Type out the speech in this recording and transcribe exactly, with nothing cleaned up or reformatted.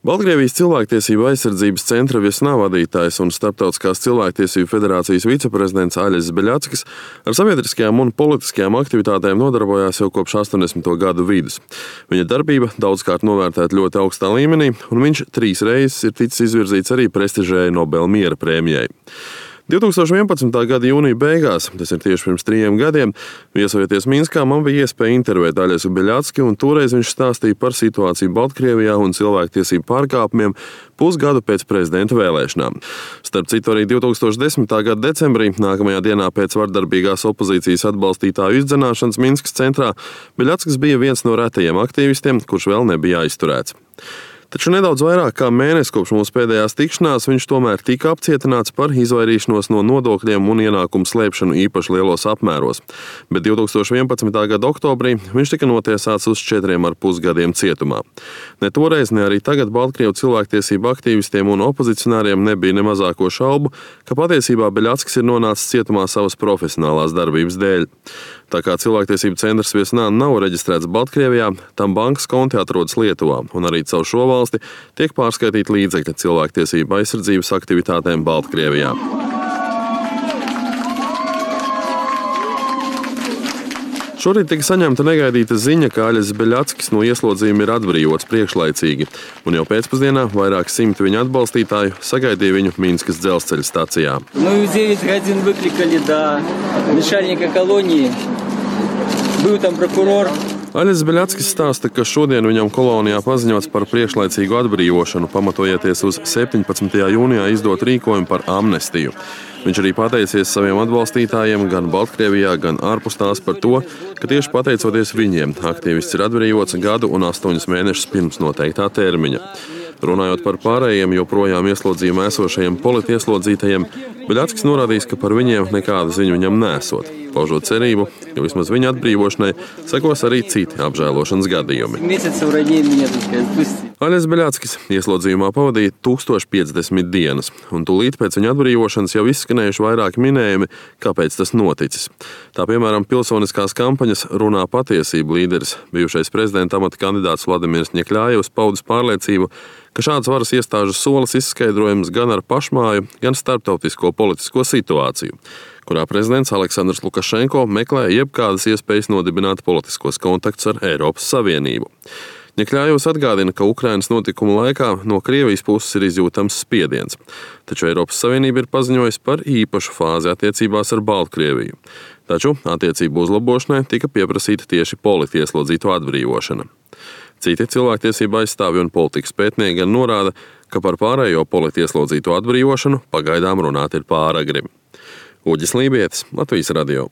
Baltkrievijas cilvēktiesību aizsardzības centra Viesnā vadītājs un Starptautiskās cilvēktiesību federācijas viceprezidents Aļis Beļackis ar sabiedriskajām un politiskajām aktivitātēm nodarbojās jau kopš astoņdesmito gadu vidus. Viņa darbība daudzkārt novērtēta ļoti augstā līmenī, un viņš trīs reizes ir ticis izvirzīts arī prestižējai Nobela miera prēmijai. divtūkstoš vienpadsmitā gada jūnija beigās, tas ir tieši pirms trījiem gadiem, viesojoties Minskā, man bija iespēja intervēt Aļesu Beļacki, un toreiz viņš stāstīja par situāciju Baltkrievijā un cilvēktiesību pārkāpumiem pusgadu pēc prezidenta vēlēšanām. Starp citu, arī divtūkstoš desmitā gada decembrī, nākamajā dienā pēc vardarbīgās opozīcijas atbalstītāju izdzenāšanas Minskas centrā, Beļackis bija viens no retajiem aktīvistiem, kurš vēl nebija aizturēts. Taču nedaudz vairāk kā mēnesi kopš mūsu pēdējās tikšanās viņš tomēr tika apcietināts par izvairīšanos no nodokļiem un ienākumu slēpšanu īpaši lielos apmēros, bet divtūkstoš vienpadsmitā gada oktobrī viņš tika notiesāts uz četriem ar pus gadiem cietumā. Ne toreiz, ne arī tagad Baltkrievu cilvēktiesību aktīvistiem un opozicionāriem nebija ne mazāko šaubu, ka patiesībā Beļackis ir nonācis cietumā savas profesionālās darbības dēļ. Tā kā cilvēktiesību centrs Viesnā nav reģistrēts Baltkrievijā, tam bankas konti atrodas Lietuvā, un arī caur šo valsti tiek pārskaitīti līdzekļi cilvēktiesību aizsardzības aktivitātēm Baltkrievijā. Šorīt tika saņemta negaidīta ziņa, ka Aļis Beļackis no ieslodzījuma ir atbrīvots priekšlaicīgi, un jau pēcpusdienā vairāk simti viņa atbalstītāju sagaidīja viņu Minskas dzelzceļa stacijā. Nu, девять годин выкликали до начальника колонии. Был там прокурор. Aļis Beļackis stāsta, ka šodien viņam kolonijā paziņots par priekšlaicīgu atbrīvošanu, pamatojoties uz septiņpadsmitajā jūnijā izdot rīkojumu par amnestiju. Viņš arī pateicies saviem atbalstītājiem gan Baltkrievijā, gan ārpus tās par to, ka tieši pateicoties viņiem aktīvists ir atbrīvots gadu un astoņus mēnešus pirms noteiktā termiņa. Runājot par pārējiem joprojām ieslodzījumā esošajiem politieslodzītajiem, Beļackis norādījis, ka par viņiem nekādu ziņu viņam nesot, paužot cerību, ka vismaz viņa atbrīvošanai sekos arī citi apžēlošanas gadījumi. Aļis Beļackis ieslodzījumā pavadīja tūkstoš piecdesmit dienas, un tūlīt pēc viņa atbrīvošanas jau izskanējuši vairāki minējumi, kāpēc tas noticis. Tā piemēram pilsoniskās kampaņas Runā patiesība līderis, bijušais prezidenta amata kandidāts Vladimirs Ņekļājevs paudis pārliecību, ka šāds varas iestāžu solis izskaidrojams gan ar pašmāju, gan starptautisko politisko situāciju, kurā prezidents Aleksandrs Lukašenko meklē jebkādas iespējas nodibināt politiskos kontaktus ar Eiropas Savienību. Ņekļājevs atgādina, ka Ukrainas notikumu laikā no Krievijas puses ir izjūtams spiediens, taču Eiropas Savienība ir paziņojusi par īpašu fāzi attiecībās ar Baltkrieviju. Taču attiecību uzlabošanai tika pieprasīta tieši politieslodzīto atbrīvošana. Citi cilvēktiesība aizstāvji un politikas pētnieki gan norāda, ka par pārējo politieslodzīto atbrīvošanu pagaidām runāt ir pāragri. Uģis Lībietis, Latvijas radio.